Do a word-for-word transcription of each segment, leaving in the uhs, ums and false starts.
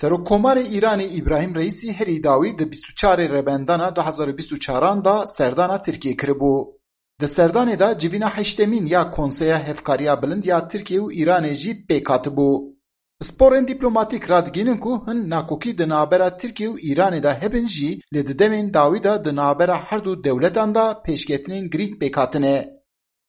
Serokkomarê Îranê Îbrahîm Reîsî herî dawî di bîst û çarê Rebendana du hezar û bîst û çaran de serdana Tirkiyê kiribû. Di serdanê de civîna heştemîn ya Konseya Hevkariya Bilind ya Tirkiye û Îranê jî pêk hatibû. Pisporên dîplomatîk radigihînin ku hin nakokî di navbera Tirkiye û Îranê de hebin jî, lê di demên dawî de di navbera her du dewletan de pêşketinên girîng pêk hatine.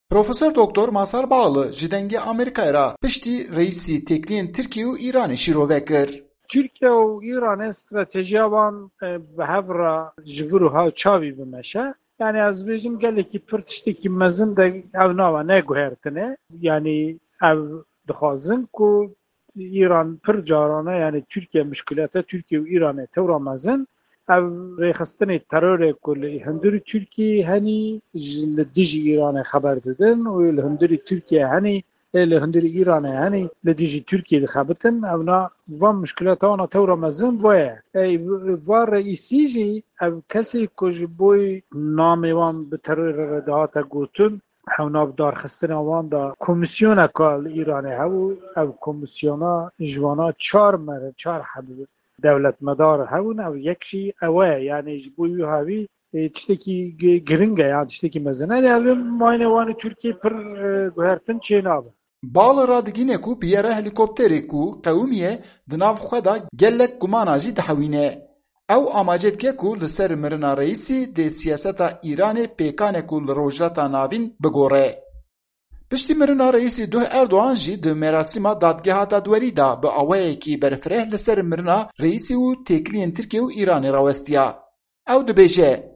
Profesor Doktor Masar Bağlı ji Dengê Amerîkayê re piştî Reîsî têkliyên Tirkiye û Îranê şîrove kir. Tirkiye û Îranê stratejiya wan, e, bi hev re ji vir û hev çavî bimeşe. Yani ez bêjim gelekî pir tiştekî mezin de ev nava neguhertine. Yani ev dixwazin ku Îran pir carane, yani Tirkiye mişkilete Tirkiye û Îranê tewra mezin. Ev rêxistinê terorê ku li hundirî Tirkiyê henî ji, li dijî Îranê xeber didin û li hundirî Tirkiye henî, ê li hundirî Îranê henî li dijî Tirkiyê dixebitin. Evna van mişkileta wana tewra mezin va ye. Ey, va reîsî jî ev kesê ku ji bo namê wan bi terorê re dihate gotin, hewna bi darxistina wan de komîsyoneka li Îranê hebû. Ev komîsyona ji wana çar mere, çar heb dewletmedar hebûn. Ev yek jî ew e, yani ji bo wî havî, e, tiştekî gi-, giring e, yani tiştekî mezin e. Lê ev ê mayne wan û Tirkiyê pir, e, guhertin çênabe. Bağlı radigîne ku biyera helîkopterê ku qewimiye di nav xwe de gelek gumana jî dihewîne. Ew amace dike ku li ser mirina Reîsî dê siyaseta Îranê pêkane ku li Rojhilata Navîn bigore. Piştî mirina Reîsî duh Erdogan jî di merasîma Dadgeha Dadwerî de bi awayekî berfireh li ser mirina Reîsî û têkiliyên Tirkiye û Îranê rawestiya. Ew dibêje,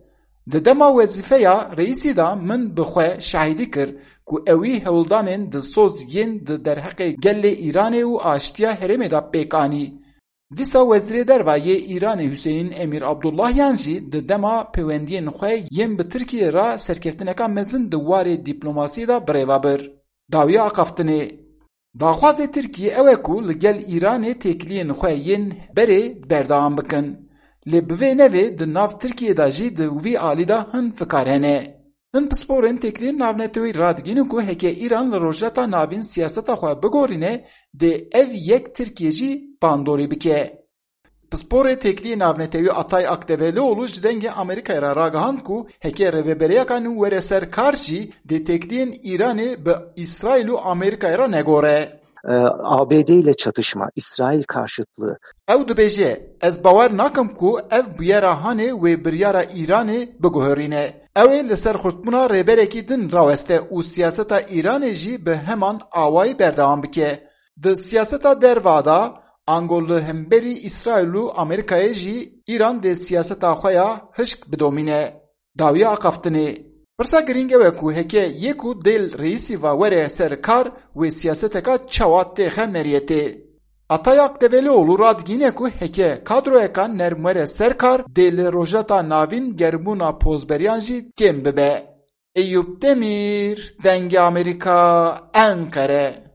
di dema wezîfeya Reîsî de min bi xwe şahidî kir ku ewî hewldanên dilsoz yên di derheqê gelê Îranê û aştiya herêmê de pêk anî. Dîsa Wezîrê Derva yê Îranê Hüseyin Emîr Abdullahyan jî di dema pêwendiyên xwe yên bi Tirkiyê re serkeftineka mezin di warê dîplomasiyê de birêve bir. Dawiya axaftinê. Daxwazê Tirkiyê ew e ku li gel Îranê têkiliyên xwe yên berê berdewam bikin. Lê bi vê nevê di nav Tirkiyê de jî di vî alî de hin fikar hene. Hin pisporên têkiliyên navneteweyî radigihînin ku heke Îran li Rojhilata Navîn siyaseta xwe bigorîne, dê ev yek Tirkiye jî bandorî bike. Pisporê têkiliyê navnetewî Atay Akdevelioğlu ji Dengê Amerîkayê re ragihand ku heke rêveberiyeka nû were ser kar jî, dê têkiliyên Îranê bi Îsraîl û Amerîkayê re negore. E, A B D ile çatışma, İsrail karşıtlığı. Ew dibêje, ez bawer nakim ku ev bûyera hanê wê biryara Îranê biguherîne. Ew ê li ser xurtbûna rêberekî din raweste û siyaseta Îranê jî bi heman awayî berdewam bike. Di siyaseta derva de, ango li hemberî Îsraîl û Amerîkayê jî Îran dê siyaseta xwe ya hişk bidomîne. Dawiya axaftinê. Pirsa girîng ew e ku heke yê ku dê li Reîsî ve were ser kar, wê siyaseteka çawa têxe meriyetê. Atay Akdevelioğlu radigihîne ku heke kadroyeka nerm were ser kar, dê li Rojhilata Navîn germbûna pozberiyan jî kêm bibe. Eyûp Demîr, Dengê Amerîka, Enqere.